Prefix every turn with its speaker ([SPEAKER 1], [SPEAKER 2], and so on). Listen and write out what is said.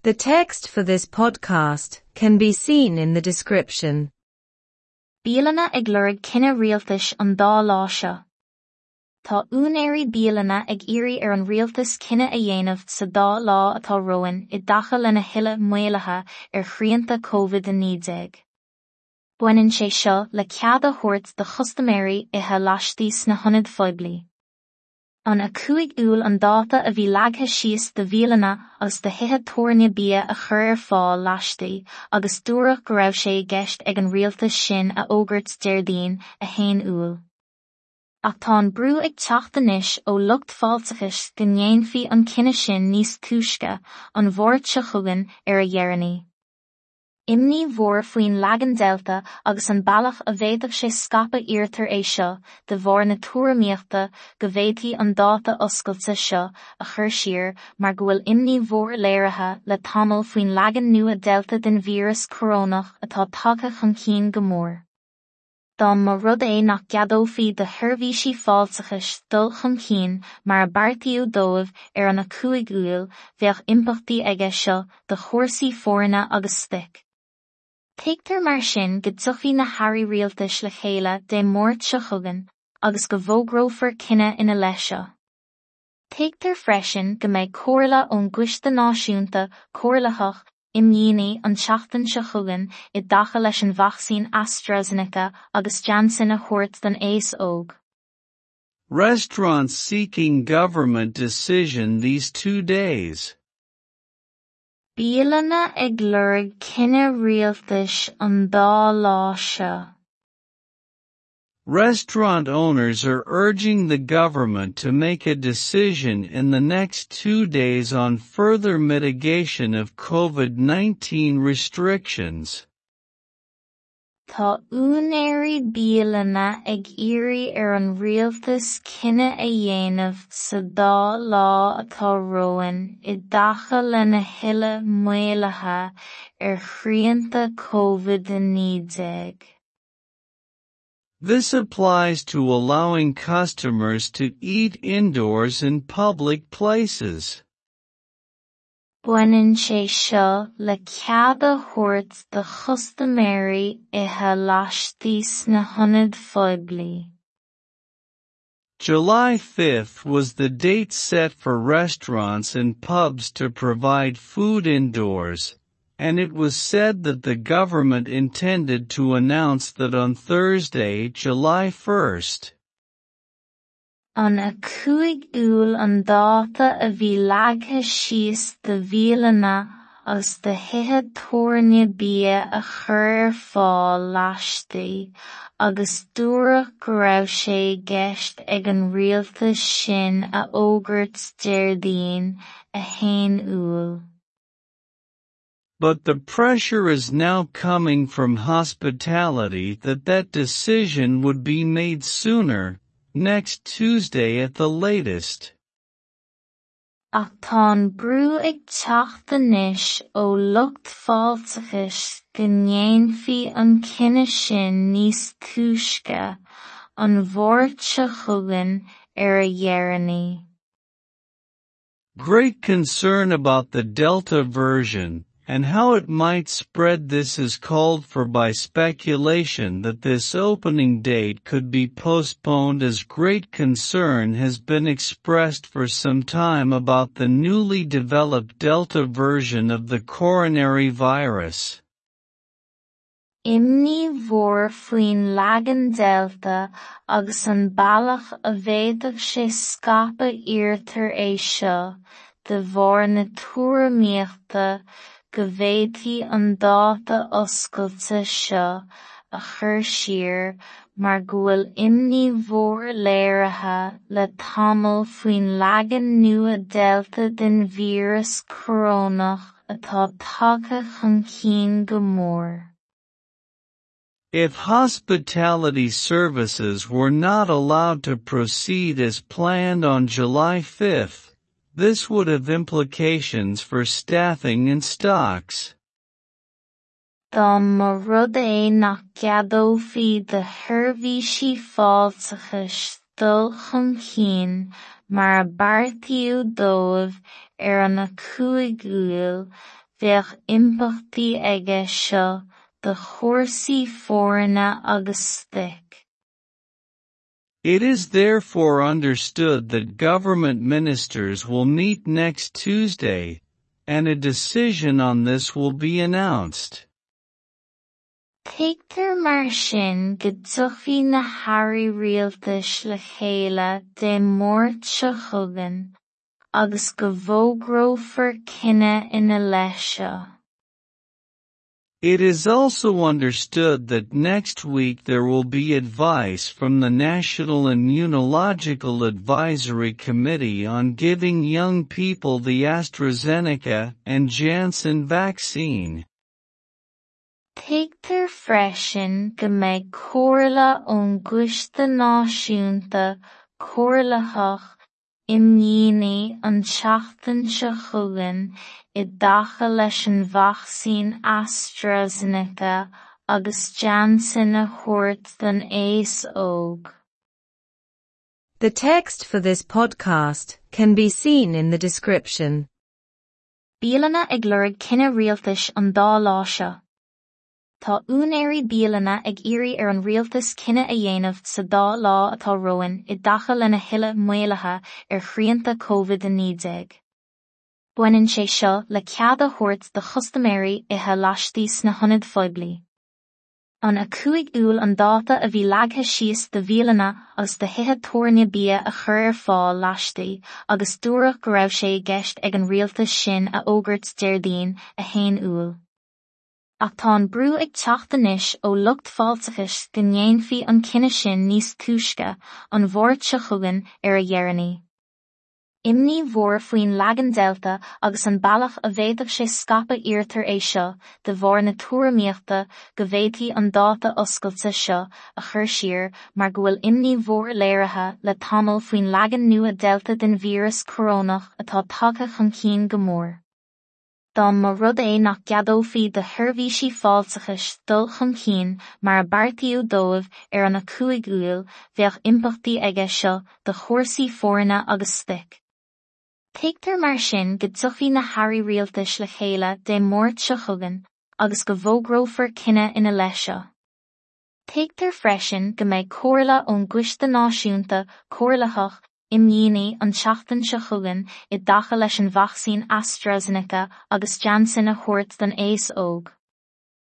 [SPEAKER 1] The text for this podcast can be seen in the description.
[SPEAKER 2] Bialanna ag lorg cinneadh rialtais an dá lá seo. Tá úinéirí bialanna ag iarraidh ar an rialtas cinneadh a dhéanamh sa dá lá atá romhainn i dtaca lena thuilleadh maolaithe ar shrianta Covid-19. Baineann sé seo le cead a thabhairt do chustaiméirí ithe laistigh sna hionaid phoiblí. An 5 Iúil an dáta a bhí leagtha síos do bhialanna agus do thithe tabhairne bia a chur ar fáil laistigh agus dúradh go raibh sé i gceist ag an rialtas sin a fhógairt Déardaoin 1 Iúil. Ach tá an brú ag teacht anois ó lucht fáilteachais go ndéanfaí an cinneadh sin níos túisce, an Mháirt seo chugainn ar a dheireanaí. Imní mhór faoin leagan Delta agus an bealach a bhféadfadh sé scaipeadh iarrtar é seo de bharr na tuairimíochta go bhféadfaí an dáta oscailte seo a chur siar mar go bhfuil imní mhór léirithe le tamall faoin leagan nua Delta den víreas corónach atá tagtha chun cinn go mór. Dá mba rud é nach gceadófaí do sheirbhísí fáilteachais dul chun cinn mar a beartaíodh dóibh ar an 5 Iúil, bheadh impleachtaí aige seo do chúrsaí foirne agus stoic. Tuigtear mar sin go dtiocfaidh na hairí rialtais le chéile Dé Máirt seo chugainn agus go bhfógrófar cinneadh ina leith seo. Tuigtear freisin go mbeidh comhairle ón gCoiste Náisiúnta Comhairleach Imdhíonaí an tseachtain seo chugainn i dtaca leis an vacsaín AstraZeneca agus Janssen a thabhairt don aos óg.
[SPEAKER 3] Restaurants seeking government decision these two days.
[SPEAKER 2] Bialanna ag lorg cinneadh rialtais an dá lá seo.
[SPEAKER 3] Restaurant owners are urging the government to make a decision in the next 2 days on further mitigation of COVID-19 restrictions.
[SPEAKER 2] Tá úinéirí bialanna ag iarraidh ar an rialtas cinneadh a dhéanamh sa dá lá atá romhainn i dtaca lena thuilleadh maolaithe ar shrianta Covid-19.
[SPEAKER 3] This applies to allowing customers to eat indoors in public places.
[SPEAKER 2] Baineann sé seo le cead a thabhairt do chustaiméirí ithe laistigh sna hionaid phoiblí.
[SPEAKER 3] July 5 was the date set for restaurants and pubs to provide food indoors, and it was said that the government intended to announce that on Thursday, July 1.
[SPEAKER 2] An 5 Iúil an dáta a bhí leagtha síos do bhialanna agus do thithe tabhairne bia a chur ar fáil laistigh agus dúradh go raibh sé i gceist ag an rialtas sin a fhógairt Déardaoin 1 Iúil.
[SPEAKER 3] But the pressure is now coming from hospitality that that decision would be made sooner, next Tuesday at the latest.
[SPEAKER 2] Ach tá an brú ag teacht anois ó lucht fáilteachais go ndéanfaí an cinneadh sin níos túisce, an Mháirt seo chugainn ar a dheireanaí.
[SPEAKER 3] Great concern about the Delta version, and how it might spread. This is called for by speculation that this opening date could be postponed, as great concern has been expressed for some time about the newly developed Delta version of the coronary virus.
[SPEAKER 2] Imní mhór faoin leagan Delta agus an bealach a bhféadfadh sé scaipeadh iarrtar é seo de bharr na tuairimíochta go bhféadfaí an dáta oscailte seo a chur siar mar go bhfuil imní mhór léirithe le tamall faoin leagan nua Delta den víreas corónach atá tagtha chun cinn go mór.
[SPEAKER 3] If hospitality services were not allowed to proceed as planned on July 5, this would have implications for staffing and stocks.
[SPEAKER 2] Dá mba rud é nach gceadófaí do sheirbhísí fáilteachais dul chun cinn mar a beartaíodh dóibh ar an 5 Iúil, Bheadh impleachtaí aige seo do chúrsaí foirne agus stoic.
[SPEAKER 3] It is therefore understood that government ministers will meet next Tuesday, and a decision on this will be announced.
[SPEAKER 2] Tuigtear mar sin go dtiocfaidh na hairí rialtais le chéile Dé Máirt seo chugainn, agus go bhfógrófar cinneadh ina leith seo.
[SPEAKER 3] It is also understood that next week there will be advice from the National Immunological Advisory Committee on giving young people the AstraZeneca and Janssen vaccine.
[SPEAKER 2] Tuigtear freisin go mbeidh comhairle ón gCoiste Náisiúnta Comhairleach Imdhíonaí an tseachtain seo chugainn i dtaca leis an vacsaín AstraZeneca agus Janssen a thabhairt don aos óg.
[SPEAKER 1] The text for this podcast can be seen in the description.
[SPEAKER 2] Bialanna ag lorg cinneadh rialtais an dá lá seo. Tá úinéirí bialanna ag iarraidh ar an rialtas cinneadh a dhéanamh sa dá lá atá romhainn i dtaca lena thuilleadh maolaithe ar shrianta COVID-19. Baineann sé seo le cead a thabhairt do chustaiméirí ithe laistigh sna hionaid phoiblí. An 5 Iúil an dáta a bhí leagtha síos do bhialanna agus do thithe tabhairne bia a chur ar fáil laistigh agus dúradh go raibh sé i gceist ag an rialtas sin a fhógairt Déardaoin 1 Iúil. Ach tá an brú ag teacht anois ó lucht fáilteachais go ndéanfaí an cinneadh sin níos túisce, an Mháirt seo chugainn, ar a dheireanaí. Imní mhór faoin leagan Delta agus an bealach a bhféadfadh sé scaipeadh iarrtar é seo de bharr na tuairimíochta go bhféadfaí an dáta oscailte seo a chur siar mar go bhfuil imní mhór léirithe le tamall faoin leagan nua Delta den víreas corónach atá tagtha chun cinn go mór. Dá mba rud é nach gceadófaí do sheirbhísí fáilteachais dul chun cinn mar a beartaíodh dóibh ar an 5 Iúil, bheadh impleachtaí aige seo do chúrsaí foirne agus stoic. Tuigtear mar sin go dtiocfaidh na hairí rialtais le chéile Dé Máirt seo chugainn, agus go bhfógrófar cinneadh ina leith seo. Tuigtear freisin go mbeidh comhairle ón gCoiste Náisiúnta Comhairleach Imdhíonaí an tseachtain seo chugainn i dtaca leis an vacsaín AstraZeneca agus Janssen a thabhairt don aos óg.